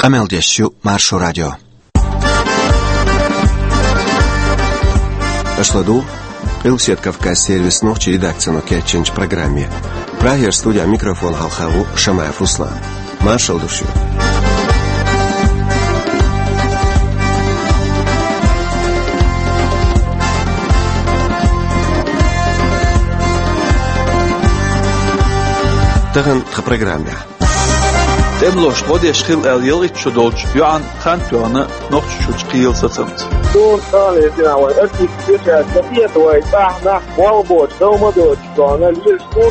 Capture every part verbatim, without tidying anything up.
Къамел деш ю Маршо радио. Аша ладугӀу Къилбаседа Кавказан сервисан нохчийн редакцино кечйинчу программе. Прагера студин микрофона хьалха ву Шамаев Руслан. Маршалла ду шуьга. Тахана тхан программехь. ТӀемалошна гӀо деш хилла аьлла ялхитта шо долчу йоӀана хан тоьхна Нохчийчуьрчу кхелан сацамца. Суна хан эзина вайн артист кхечаьрца ца хета вай, цӀахь нах болх боцуш, дов ма доцуш, тхуна лелаш ду.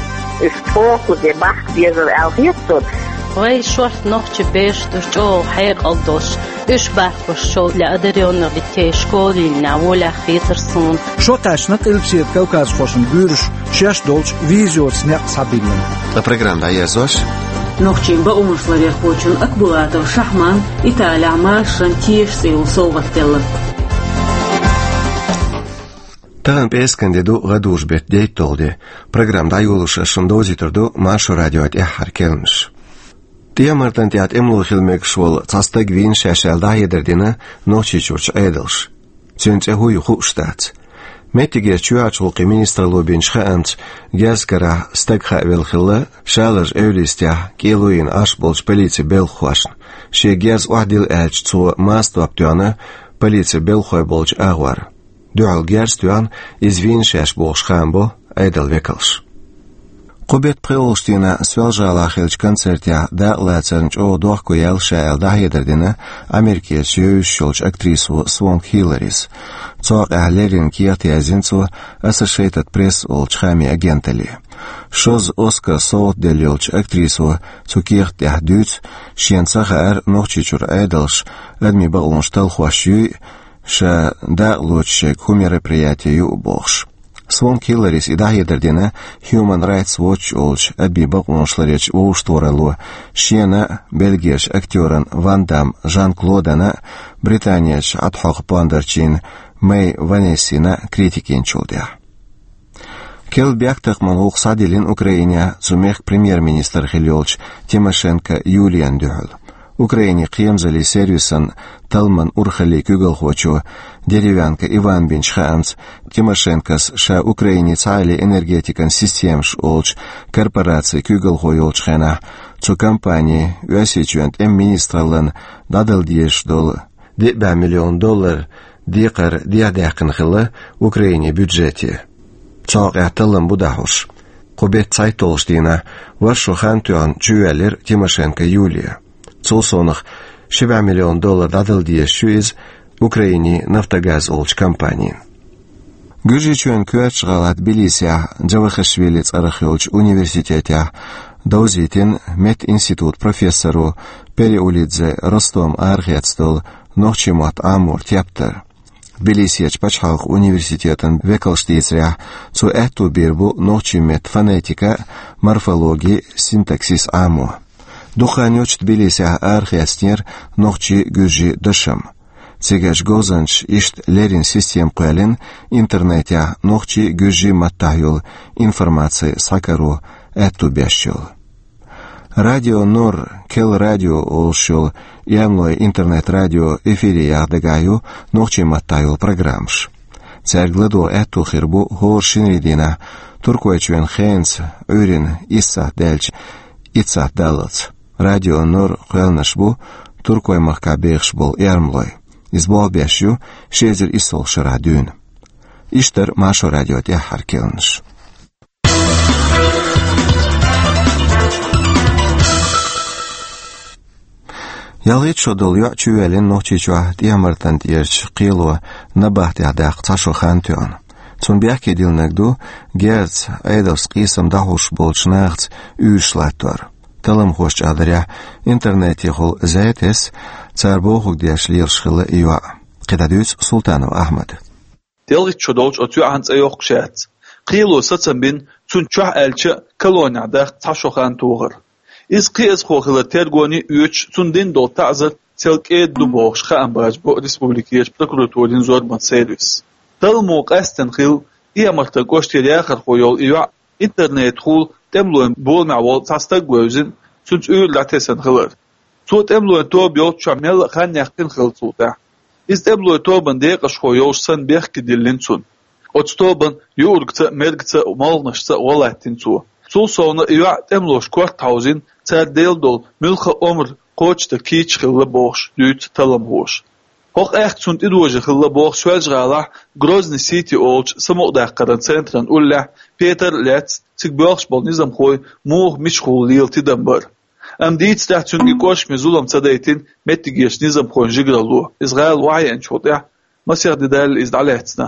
Иза чӀогӀа кху де бахка безар аьлла хета суна. Вай шорта нохчийн бераш ду чӀогӀа хьекъал долуш, уьш бархӀ Ошшол для одарённых детей школа йиллинехь волехь хетара суна. Шо кхаьчна Къилбаседа кавказхошна буьйраш шаьш долчу визорца некъ схьабиллина. Ткъа программа дӀаерзош. Нохчийн бакъонашларъярхочун Акбулатов Шахьман Италехь машаран теша цӀе йолу совгӀат делла. Тахана пӀераскан де ду, гӀадужу беттан дейтталгӀа де. Программа дӀайолош ас шуна довзуьйтур ду Маршо радион тӀаьххьара керланаш. ТӀехьа-Мартан тӀехь тӀемало хила мегаш волу цхьа стаг вийна шаьш аьлла дӀахьедар дина Нохчийчуьрчу Ӏедалша. Цуьнан цӀе хӀун ю хууш дац. Меттигерчу чоьхьарчу гӀуллакхийн министралло бинчу хаамца, герз карахь стаг хаавелла хилла Шаларчу Эвристехь кӀело йина Ӏаш болчу полицин белхахошна. Шен герз охьадилла аьлча, цо мастор тоьхна полицин белхахой болчу агӀор. Дуьхьал герз тоьхна, иза вийна шаьш бохуш хаам бо Ӏедалан векалша. Кху беттан пхоьалгӀачу дийнахь Соьлжа-ГӀалахь хиллачу концертехь дакъалацарна чӀогӀа дохко яьлла ша аьлла дӀахьедар дина Америкерчу евзаш йолчу актрисо Свонг Хилларис. Цу хьокъехь леррина кехат яздина цо Associated Press олучу хаамийн агенталле. Шозза Оскар совгӀат делла йолчу актрисо цу кехат тӀехь дуьйцу, шена ца хаьара Нохчийчуьра Ӏедалша адамийн бакъонаш талхош юй, ша дакъалоцуш шайга хӀун мероприяти ю бохуш. Свонг Хилларис и дӀахьедар дина Human Rights Watch олучу адамийн бакъонашларъярчу вовшахтохаралло шена а, бельгерчу актёран Ван Дам Жан-Клодана а, Британерчу Ӏадхьокху пондарчийн Мэй Ванессина а критика йинчул тӀаьхьа. Керла бехктакхаман гӀуллакх схьадиллина Украинехь цу мехкан премьер-министр хилла йолчу Тимошенко Юлияна дуьхьал. Украинин кхерамзаллин сервисан талламан урхаллин куьйгалхочо Деревянко Ивана бинчу хаамца, Тимошенкос ша Украинин цхьааллин энергетикан системаш олучу корпорацин куьйгалхо йолчу хенахь, цу компанин Оьрсийчоьнан тӀеман министраллина дӀадала дезаш долу диъ бӀе миллион доллар декхар дехьадаьккхина хилла Украинин бюджете. Цу хьокъехь таллам бу дӀахьош. Кху беттан цхьайтталгӀачу дийнахь ворхӀ шо хан тоьхна чувоьллира Тимошенко Юлия. Цул совнаха ши бӀе миллион доллар дӀадала дезаш ю иза Украинин «Нафтогаз» олучу компанина. Гуьржийчоьнан коьртачу гӀала Тбилисехь Джавахишвили цӀарах йолчу университетехь довзийтина меттан институтан профессоро Переулидзе Ростома арахецна долу нохчийн мотт Ӏаморан тептар. Тбилисерчу пачхьалкхан университетан векалша дийцарехь, цо аьтто бийр бу нохчийн меттан фонетика, морфологи, синтаксис Ӏамо. Дукха хан йоццуш Тбилисехь арахецнера нохчийн, гуьржийн дашам. Цигарчу говзанчаша иштта леррина система кхоьллина интернетехь нохчийн, гуьржийн маттахь йолу информаци схьакаро аьтто беш йолу. Радио Нур, Кел радио олуш йолу эрмалойн интернет-радио эфире яха дагахь ю нохчийн маттахь йолу программаш. Цаьрга ладогӀа аьтто хир бу хӀора шинарин дийнахь Туркойчоьнан хенаца Ӏуьйранна исс сахьт даьлча итт сахьт даллалц. Радио Нур кхоьллинарш бу Туркойн махкахь бехаш болу эрмалой. Иза болх беш ю ши эзар исслагӀчу шарахь дуьйна. Иштта дара Маршо радион тӀаьххьара керланаш. Ялхитта шо долу йоӀ чувоьллина Нохчийчохь ТӀехьа-Мартан тӀерачу кхело набахтехь даккха цхьа шо хан тоьхна. Цунна бехке диллинарг ду герзаца, Ӏедалца къийсам дӀахьош болчу нахаца уьйраш латтор. Талламхоша чӀагӀдарехь, интернетехула зӀе тесна, цара бохург деш лелаш хилла и йоӀ. КхидӀа дуьйцу Султанов Ахьмада. Ялхитта шо долчу оцу йоьӀан цӀе йоккхуш яц. Кхело сацам бина, цунна чохь аьлча а колонехь даккха цхьа шо хан тохар. Иза кхиазхо хилар тергоне а оьцуш, цунна дина долу таӀзар сел кӀеда ду бохуш хаам бажа бо республикерчу прокуратурин зорбан сервис. Талламо къаьстина хилла ТӀехьа-Мартан кӀоштера яхархо йолу и йоӀ интернетехула тӀемалойн боламехь волу цхьа стаг вевзина, цуьнца уьйр дӀатесна хилар. Цо тӀемалойн тоба йолччохь мелла а хан яьккхина хилла цул тӀаьхьа. Иза тӀемалойн тобан декъашхо йолуш санна бехке диллина цунна. Оцу тобан юургца а, мергца а, молханашца а гӀо латтийна цо. Цул совна и йоӀ тӀемалоша корта хьовзийна, цара делла долу муьлхха а омра кхочушдан кийча хилла бохуш дуьйцу талламхоша. ХӀокху аьхка цунна тӀедожа хилла боху Соьлжа-ГӀалахь Грозный-Сити олучу самукъадаккхаран центран уллехь Петар а лаьцна цига боьлхуш болу низамхой муха мичахула лела тидам бар. Амма дийцарехь, цуьнан и кӀоршаме зулам ца дайтина меттигерчу низамхойн жигаралло, иза гӀала охьаеанчул тӀаьхьа масех де даьлла иза дӀалаьцна.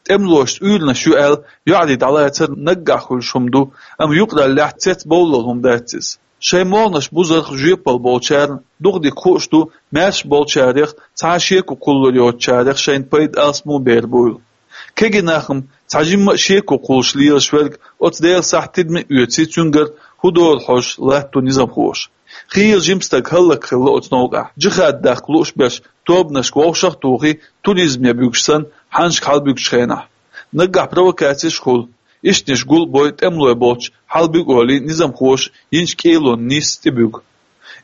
ТӀемалошца уьйранаш ю аьлла, йоӀарий дӀалацар наггахь хуьлуш хӀума ду, амма юкъараллехь цецбовллал хӀума дац иза. Шайн молханаш бузарх жоьпалла болчарна дукха дика хууш ду, маьрша болчарех, цхьа а шеко кхуллур йоцучарех шайна пайда алсамо бер буйла. Кегий нах-м, цхьа жимма а шеко кхуллуш лелаш верг, оцу Делан сахьт тидаме а оьций, цуьнгара хӀун дора хьожуш латтаво низамхоша. Хийла жима стаг хӀаллакьхилла оцу новкъахь, джихад даккха лууш берш тобанашка вовшах а тухий, туризме буьгуш санна, хьаннашка хьалабуьгучу хенахь. Наггахь провокацеш а хуьлу. Ишттанаш гул а бой, тӀемалой болчу хьалабуьгу олий, низамхоша йинчу кӀелонан нийсса тӀебуьгу.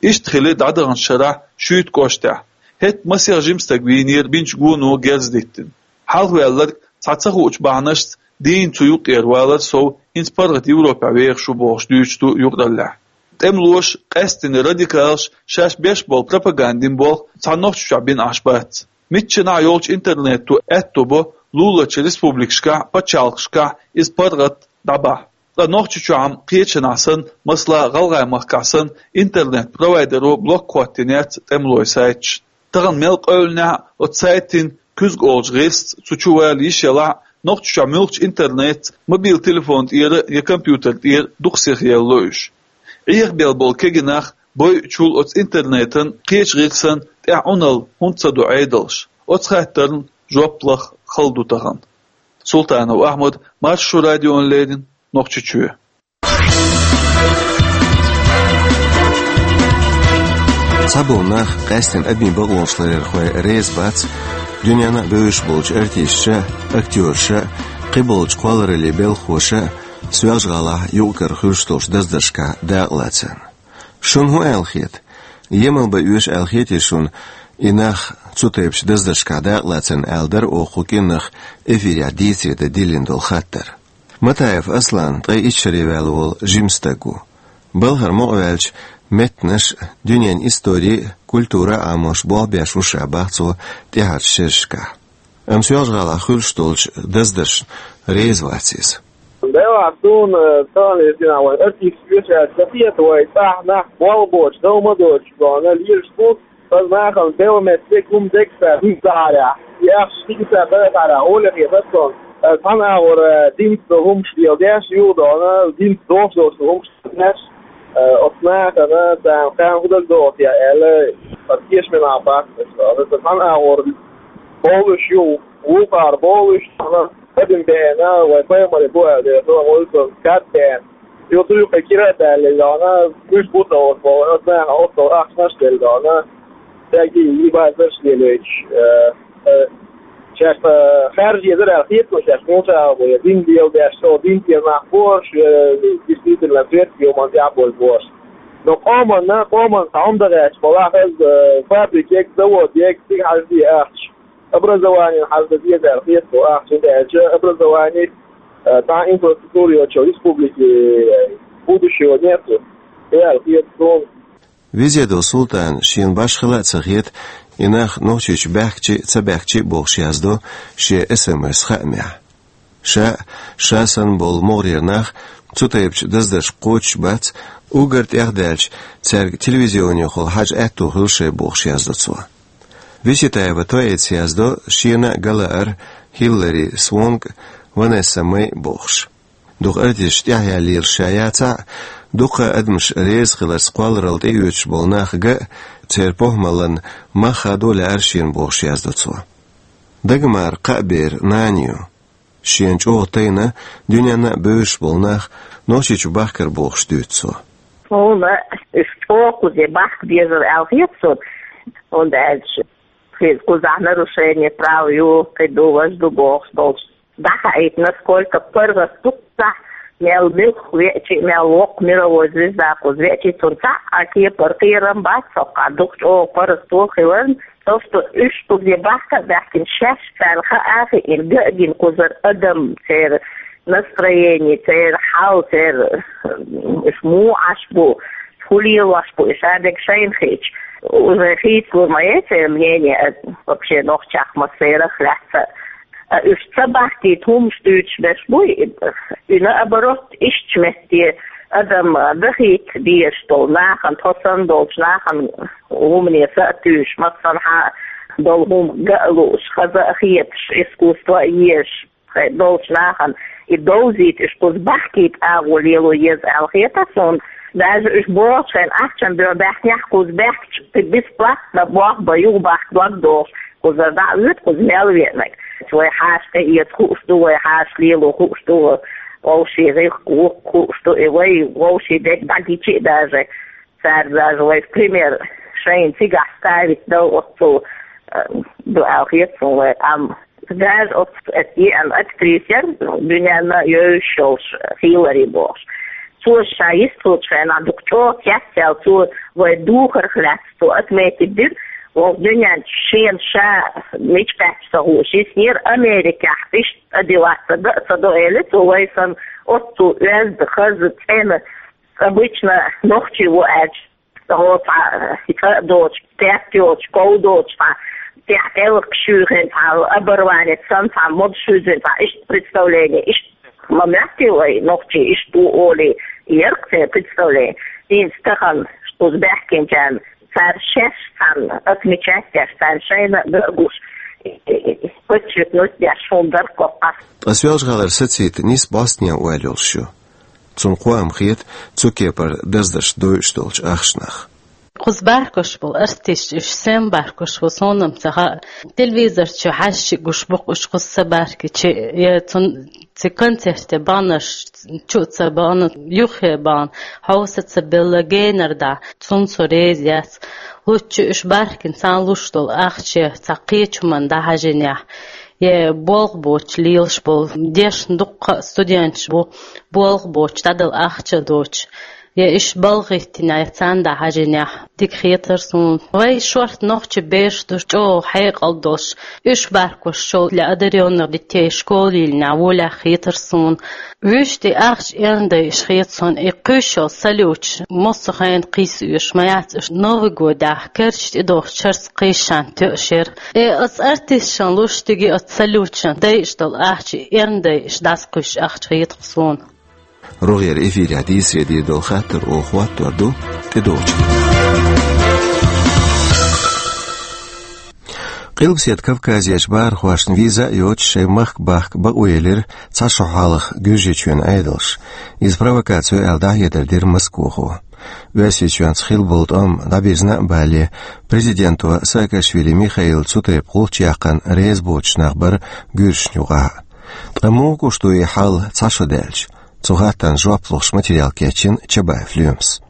Иштта хили дӀадаханчу шарахь Шуьйта кӀоштахь. ХӀетта масех жима стаг вийнера бинчу гоно герз диттина. Хьалхаваьлларг цхьа ца хуучу бахьанашца дийна цу юккъера валар сов, хӀинца паргӀат Европехь вехаш ву бохуш дуьйцуш ду юкъараллехь. ТӀемалоша, къаьсттина радикалаша шаьш беш болу пропагандин болх цхьа Нохчийчохь бина Ӏаш бац. Миччанхьа йолчу интернето аьтто бо луларчу республикашкахь а, пачхьалкхашкахь а иза паргӀат дӀабахьа. Ткъа Нохчийчохь-м кхечанхьа санна, масала, ГӀалгӀай-махкахь санна, интернет-провайдеро блок хӀоттийна яц тӀемалойн сайташ. Тахана мел къевлинехь а оцу сайтийн куьзга олучу гӀирсаца цу чу вала йиш ялахь а, Нохчийчохь муьлххачу интернетца, мобил телефон тӀера я компьютер тӀера дукха сиха елла уьш. Ӏехабелла болу кегий нах бойучул оцу интернетан кхечу гӀирсан тӀаьхьа Ӏуналла хӀунда ца до Ӏедалш? Оцу хаттарна жоп лаха хала ду тахана. Султанов Ахьмад, Маршо радиона леррина, Нохчийчоь. Цхьаболу нах, къаьсттина адамийн бакъонаш ларъярхой, реза бац дуьненна а бевзаш болчу артисташа а, актёраша а, кхиболчу кхоллараллин белхахоша а Соьлжа-ГӀалахь юкъ-кара хуьлуш долчу даздаршкахь дакъалацарна. Шуна хӀун аьлла хета? Емал бан оьшу аьлла хетий шуна и нах цу тайпачу даздаршкахь дакъалацарна, аьлла дара оха кху кӀиранах эфирехь дийцаре дан диллина долу хаттар. Матаев Аслан ткъе итт шаре ваьлла волу жима стаг ву. Балхара мукъаваьллачу меттанаш а, дуьненан истори а, культура а Ӏамош болх беш ву ша, бах цо, тӀаьхьарчу шерашкахь. Амма Соьлжа-ГӀалахь хуьлуш долчу даздаршна реза вац иза. Делахь суна, тахана иза дина вайн артисташ вешаьлла ца хета, вай цӀахь нах болх боцуш, дов ма доцуш, дона лелаш бу, аса нахана белла меттиг хӀума дегса дуьйцахьарехь, и ахча дигса дахахьарехь, гӀоле хета суна. Аса цхьана агӀор динца хӀумаш леладеш, юхадона динца догӀуш долчу хӀумаш деш, оцу нахана царна хан хӀун дагадогӀу те аьлла, аса тешаме нах бац аса. Аса цхьана агӀор бовлуш ю, вукхара бовлуш, Адам беана, вайн пайхамаре бу аьлла, дера, хӀун вуьйцург кад беана. Йо, цу юккъе кира а даьлла, йона, уьш бу ца оцу боху, аса нахана оццул ахчанаш а делла, йона, стаге и базарш а лелойтуш, э, э, шаьш, э, хаьржа езар аьлла хета, шаьш муьлхха а бу, я дин леладеш, со дин тӀера нах бохуш, э, действительно, светский юман тӀехь болу бохуш. Но къоманна, къоманна цхьа хӀума дан гӀерташ, балахь, э, фабрикега, заводега, цига хьажа де ахча. Образованиена хьажа деза аьлла хета суна, ахча ца даьлча, образовани, э, цхьа инфраструктура йоцчу республике, э, будущего нету, аьлла хета суна. Везедов Султана шена башхала а ца хета, и нах Нохчийчу баьхкича а, ца баьхкича а бохуш яздо шен эс эм эс хаамехь. Ша а, ша санна болу могӀарера нах а цу тайпачу даздаршка кхочуш бац, уггар тӀех даьлча, цаьрга телевизионехула хьажа аьтто хуьлу шайн бохуш яздо цо. Виситаева Тоэца яздо шена а галаар Хиллари Свонг а, Ванесса Мэй а бохуш. Дукха артисташ тӀаьхьаяллалаш ша яцахь а, дуккха а адамаш реза хиларца кхолларалла тӀеоьцуш болу нах ган а, церан похӀмаллан мах хадо лаьара шена бохуш яздо цо. Дагмар кхаа беран нана ю. Шена чӀогӀа тайна дуьненна а бевзаш болу нах Нохчийчу бахкара бохуш дуьйцу цо. Суна уьш чӀогӀа кхузе бахка безар аьлла хета суна, хӀунда аьлча иза кхузахь нарушение прав ю, кхин ду, важа ду бохуш долчу. ДӀахаийта, насколько паргӀат ду кхузахь, Мел муьлхха веача, мел воккха мировой звезда кхуза веача, цунна цхьа а кепара кхерам бац, со кхы дукха чӀогӀа паргӀато хиларна, то, что уьш кхуза бахка а баьхкина, шаьш царна хаа а хиъна, ган а гина кхузара адам, церан настроение, церан хьал, церан, м, уьш муха Ӏаш бу, хӀун лелош бу, уьш а дерг шайна хиъча, уже хийцалур ма яй церан мнение, а, вообще нохчех массерах лаьцна. А уьш ца бахкийта хӀуманаш дуьйцуш берш буй, и, и наоборот, иштта метте адам дахийта дезаш долу нахана, тхо санна долчу нахана хӀумане са а туьйсуш, массанхьа долу хӀума ган а лууш, хаза а хеташ, искусство а езаш, хӀай долчу нахана и довзийта, уьш кхуза бахкийта агӀо лело еза аьлла хета суна. Даже уьш бохучу хенахь, ахчан дуьхьа баьхкинехь, кхуза баьхкича, кхин бесплатно болх бан, юха бахка дог дохуш, кхузара дӀа а воьду, кхуза мел веанарг. Вай хьаша тӀеэца хууш ду, вай хьаша лело хууш ду, вовшийн гӀиллакх-гӀуллакх хууш ду, и вай вовшийн дерг дӀагича а даже. Цара даже вай пример шайна цигахь ставить дала оццул, э, ду аьлла хета суна вай къам. Даже оцу эта еана актриса яра, дуьненна йовзуш йолуш, Хиллари бохуш. Цо ша йистхуьлучу хенахь дукха чӀогӀа кестта яьлла, цо вай духарх лаьцна цо отметить дира, вай дуьненчу шена ша мича кхаьчча ца хууш йиснера, Америкехь иштта а дилац, ца до а ца до, элира цо, вай санна оццул оьзда, хаза, цӀена, обычно нохчи ву аьлча, хӀо цхьа, э, цӀа а доцуш, тӀе а йоцуш, ков доцуш, цхьа тӀехь тӀелгаш шуьйхина, цхьа оборванец санна, цхьа модаш хуьзина, цхьа иштта представление, иштта ма моьттий вай, нохчий иштта ву олий, яра-кх церан представление. ХӀинца тахана кхуза баьхкинчарна, цара шаьш цхьаьна отмечать деш, царна шайна а ган а гуш, подчеркнуть деш хӀума дара-кх кхузахь. Ткъа Соьлжа-ГӀалара сацийта нийса Бостон ойла йолуш ю. Цунна кхоам хета цу кепара даздарш дойуш долчу ахчанах. Кхуза бахкош болу артисташ, уьш сема бахкош бу, суна-м ца хаьа. Телевизор чу хьаьжча гуш бу-кх уьш кхуза ца бахкича, я цун цу концерте баханарш чу а ца бахана, юххе бахана, хьовса ца белла генара дӀа, цунна со реза яц. Луччу уьш бахкина царна луш долу ахча цхьа кхечу хӀуманна дӀахьажийнехь, я болх боцуш лелаш болу, дешна дуккха а студенташ бу, болх боцуш дӀадала ахча доцуш, я уьш балха хӀиттинехь, я царна дӀахьажийнехь, дика хетара суна. Вай шорта нохчи бераш ду чӀогӀа хьекъал долуш, уьш бахкош шолгӀа для одарённых детей школа йиллинехь волехь хетара суна. Вуьшта и ахча эрна дайъаш хета суна, и кхуьйсуш йолу салюташ массо а хенахь кхийса оьшуш ма яц уьш, Новый годехь карча тӀедогӀучу шарца кхийсча тоьаш яра. Э, оцу артисташна луш стиге оцу салюташна дайъаш долу ахча эрна дайъаш дӀасакхуьйсуш ахча хета-кх суна. РогӀера эфирехь дийцаре дийр долу хаттар оха хӀоттор ду тӀедогӀучу. Къилбаседа Кавказерчу бахархошна виза а йоцуш шайн махка бахка бакъо елира цхьа шо хьалха Гуьржийчоьнан Ӏедалш. Иза провокаци ю аьлла дӀахьедар дира Москвахо. Оьрсийчоьнца хилла болу тӀом дӀабирзина а бале, президенто Саакашвили Михаила цу тайпа гӀулч яьккхина реза боцуш нах бара гуьржашна юкъахь а. Ткъа муха гуш ду и хьал цхьа шо даьлча? Цу хаттарна жоп лохуш материал кечйина Чабаев Лоьмас.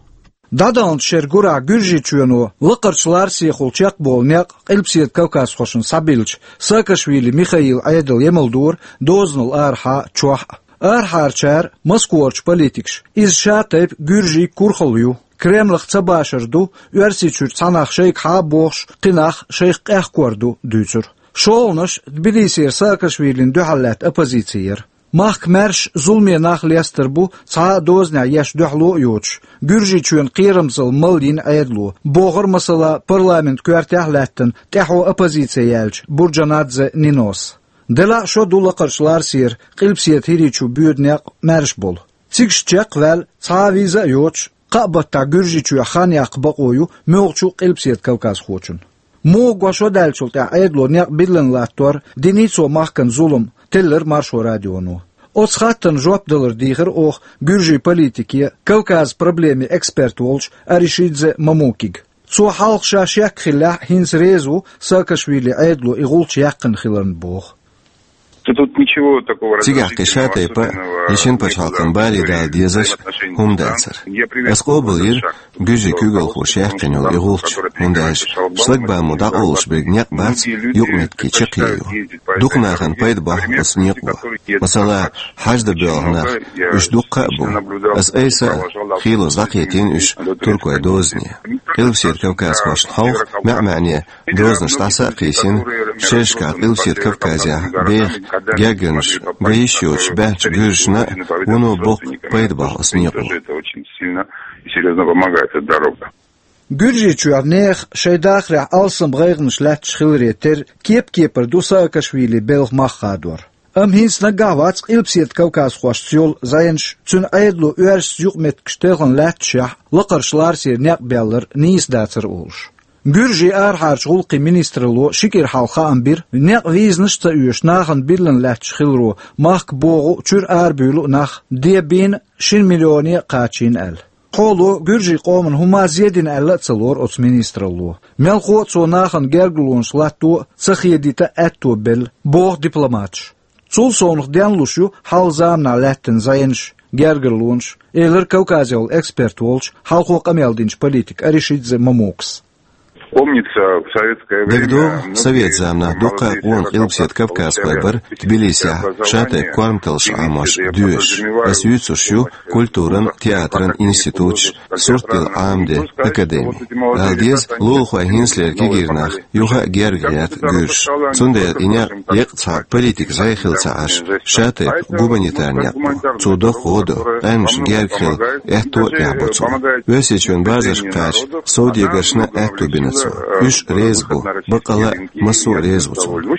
ДӀадаханчу шеран гурахь Гуьржийчоьно лакхарчу ларсехула чекхболу некъ къилбаседа кавказхошна схьабиллича, Саакашвили Михаила Ӏедал емалдора дозанал арахьа а, чохь а. Арахьарчара, Москварчу политикаша, иза ша тайпа гуьржийн курхалла ю. Кремлах ца башар ду Оьрсийчуьра цхьа нах шайгахьа а бохуш, кхин нах шайх къехкор ду, дуьйцура. ШолгӀанаш Тбилисера Саакашвилина дуьхьал лаьтта оппозици яра. Махка маьрша зуламе нах лестар бу цхьа а дозанехь еш дуьхьало а йоцуш, Гуьржийчоьнан кхерамзалла малйина Ӏедало, бохура, масала, парламентан коьртехь а лаьттина тӀаьхьо оппозици яьллачу Бурджанадзе Нинос. Делахь а шо ду лакхарчу ларсера, Къилбаседа ХӀирийчу боьду некъ маьрша болу. Цигахь чекхваьлла цхьа а виза а йоцуш, кхаа баттахь Гуьржийчоьхь хан яккха бакъо ю муьлххачу къилбаседа кавказхочун. Муха го шо даьллачул тӀаьхьа Ӏедало некъ биллина латтор динний цо махкана зулам, теллира Маршо радионо. Оцу хаттарна жоп далар дийхира оха гуьржийн политике, Кавказан проблемийн эксперт волчу Аришидзе Мамукига. Цо хьалха ша шек хиллехь а хӀинца реза ву Саакашвили Ӏедало и гӀулч яьккхина хиларна боху. Цигахь кхин шатайпа а, и шина пачхьалкхан баре дала дезаш хӀума дацар. Ас къобалйира гуьржийн куьйгалхоша яьккхина йолу и гӀулч, хӀунда аьлча шлагбаумо дӀакъовлуш берг некъ бац, юкъаметтиге чаккхе ю. Дукха нахана пайда бохьу оцу некъо. Масала, хьаж дан боьлху нах, уьш дуккха а бу. Ас айса а хийлаза дӀакхетийна уьш туркойн дозане. Къилбаседа кавказхошна хьовха маьӀ-маьӀне дозанаш дӀаса а кхийсина, шерашкахь Къилбаседа Кавказехь беха гергарнаш ган йиш йоцуш баьхначу гуьржашна а вуно боккха пайда бохьу оцу некъо. Гуьржийчохь нехан шайн дахарехь алсам гӀайгӀанаш лаьтташ хиларе терра кеп-кепара ду Саакашвили белхан мах хадор. Амма хӀинца наггахь вац Къилбаседа кавказхошца йолу зӀенаш, цуьнан Ӏедало оьрсаца юкъаметтигаш телхина лаьтташехь, лакхарчу ларсера некъ баьллар нийса дацара олуш. Гуьржийн арахьарчу гӀуллакхийн министралло ши кӀира хьалха хаам бира, некъ визанаш а ца оьшуш нахана биллина лаьтташ хиларо махка богӀу а, чуьра арабуьйлу а нах де бийна шина миллионе а кхачийна аьлла. Хьоло гуьржийн къоман хӀума зен дина аьлла а ца лору оцу министралло. Мелхо а цо нахана гергарлонаш латто а ца хедийта аьтто белла, боху дипломаташа. Цул совнаха денлуш ю хьалха заманахь лаьттина зӀенаш, гергарлонаш, элира Кавказехула эксперт волчу, хьалхо къамел динчу политика Аришидзе Мамукас. ДагадогӀу, совет заманахь дуккха а къона Къилбаседа кавказхой бара Тбилисехь шатайпа корматаллаш Ӏамош, доьшуш. Ас юьйцуш ю культуран, театран институташ, сурт дилла Ӏамаде академи. Ала деза, лулахой хӀинцалера кегийрхой юха а герга гӀерта гуьржаш. Цундела и некъ еккъа цхьа политика зӀе хилла ца Ӏаш, шатайпа гуманитарни некъ бу. Цо доккха гӀо до, къаьмнашна герга хила аьтто а тӀехь бо цунна. Оьрсийчоьнан базаршка кхача совдегаршна а аьтто бина цо. Уьш а реза бу, баккъалла а массо а реза ву цунна.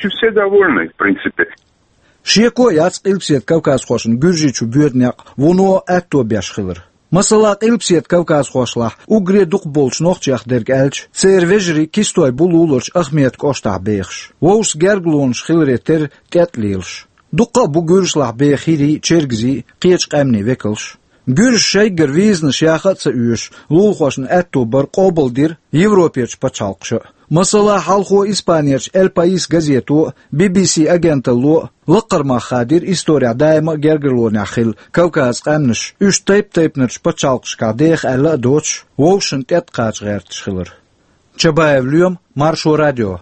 Шеко а яц Къилбаседа кавказхошна Гуьржийчу боьду некъ вуно аьтто беш хилар. Масала, Къилбаседа кавказхошлахь уггаре дукха болчу нохчех дерг аьлча, церан вежарий кистой бу луларчу Ахмета кӀоштахь бехаш. Вовшашца гергарлонаш хиларе терра тӀетӀа лелаш. Дуккха а бу гуьржашлахь беха хӀирий, чергазий, кхечу къаьмнийн векалш. Гуьржаша шайгара визанаш яха а ца оьшуш, лулахошна аьтто бар къобалдира Европерчу пачхьалкхаша а. Масала, хьалхо Испанерчу Эль Паис газето а, Би Би Си агенталло а лакхара мах хадийра исторехь даима а гергарлонехь хилла Кавказан къаьмнаш, уьш тайп-тайпанарчу пачхьалкхашкахь деха аьлла а доцуш, вовшашна тӀетӀакхача гӀерташ хилар. Чабаев Лоьма, Маршо радио.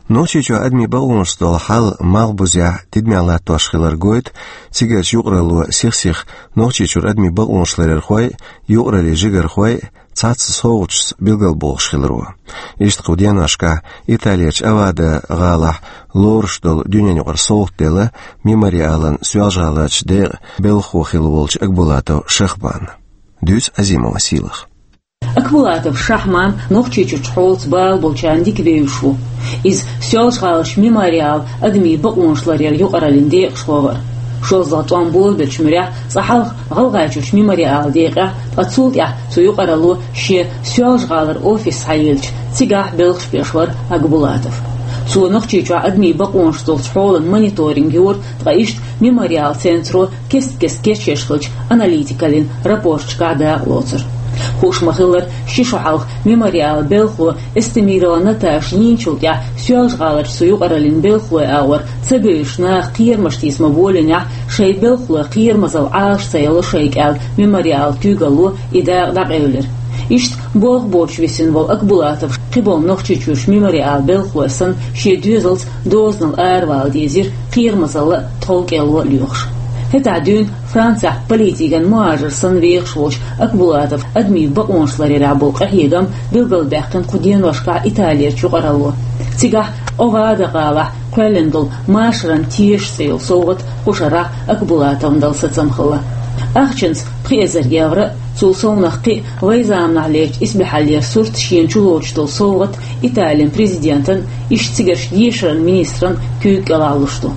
Нохчийчохь адамийн бакъонашца долу хьал малхбузехь тидамехь латтош хилар гойту цигарчу юкъаралло сих-сиха Нохчийчуьра адамийн бакъонаш ларъярхой а, юкъараллин жигархой а цхьацца совгӀаташца билгалбохуш хиларо. Иштта кху деношкахь Италерчу Авада гӀалахь лоруш долу дуьненан юкъара совгӀат делла Мемориалан Соьлжа-ГӀаларчу декъан белхахо хилла волчу Акбулатов Шахманна. Дуьйцу Азимова Сийлаха. Акбулатов Шахман Нохчийчуьрчу хьолаца бала болчарна дика вевзаш ву. Иза Соьлжа-ГӀаларчу Мемориалан адамийн бакъонаш ларъяран юкъараллин декъашхо вара. ШозлагӀа тӀом болабеллачу муьрехь цкъа хьалха ГӀалгӀайчуьрчу Мемориалан декъехь, ткъа цул тӀаьхьа цу юкъаралло шен Соьлжа-ГӀалара офис схьаелча, цигахь белхаш беш вара Акбулатов. Цо Нохчийчохь адамийн бакъонашца долчу хьолан мониторинг йора, ткъа иштта Мемориалан центро кест-кеста кечъеш хиллачу аналитикаллин рапорташкахь дакъа лоцура. Хууш ма-хиллара, ши шо хьалха Мемориалан белхало Эстемирова Наташа йийначул тӀаьхьа Соьлжа-ГӀаларчу цу юкъараллин белхалойн агӀор ца бевзаш наха кхерамаш тийса ма-боллинехь, шайн белхалой кхерамазалла Ӏалаш ца елла шайга аьлла, Мемориалан куьйгалло и дакъа дӀакъевлира. Иштта болх боцуш висина волу Акбулатов кхиболу Нохчийчуьрчу Мемориалан белхалой санна, шен доьзалца дозанал аравала дезира кхерамазалла а, тхов-кӀело а лоьхуш. ХӀетахь дуьйна Францехь политикан мухӀажар санна вехаш волчу Акбулатовн адамийн бакъонаш ларъярехь болу къахьегам билгалбаьккхина кху деношкахь Италерчу юкъаралло. Цигахь Овада-гӀалахь кхоьллина долу «Машаран тешаш» цӀе йолу совгӀат кху шарахь Акбулатовна дала сацам хилла. Ахчанца пхи эзар евро а, цул совнаха кхин а вайн заманахь лерчу исбаьхьаллера сурт шена чулоцуш долу совгӀат Италин президентан, иштта цигарчу дешаран министран куьйга кӀелахь луш ду.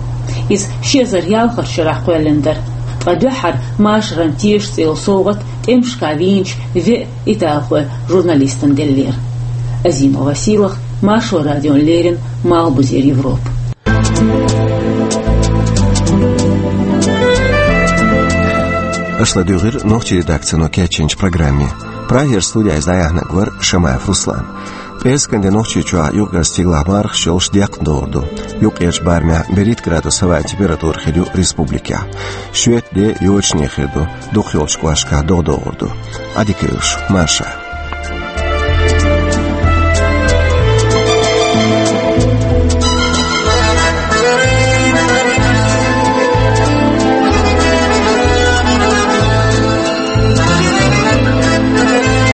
Иза ши эзар ялхарчу шарахь кхоьллина дара. Ткъа дуьххьара «Машаран тешаш» цӀе йолу совгӀат тӀемашкахь вийначу веа италхойн журналистана деллера. Азимова Сийлаха, Маршо радиона леррина, Малхбузера Европа. Аша ладуьйгӀира нохчийн редакцино кечйинчу программе. Прагера студехь иза дӀаяьхьнарг вара Шамаев Руслан. ПӀераскан де Нохчийчохь юкъара стигалахь мархаш йолуш декхна догӀур ду. Юккъерчу барамехь берхӀитта градус хӀаваан температура хир ю республикехь. Шоьтан де йочане хир ду дукхахйолчу кӀошташкахь, догӀа догӀур ду. Ӏадика йойла шун, марша.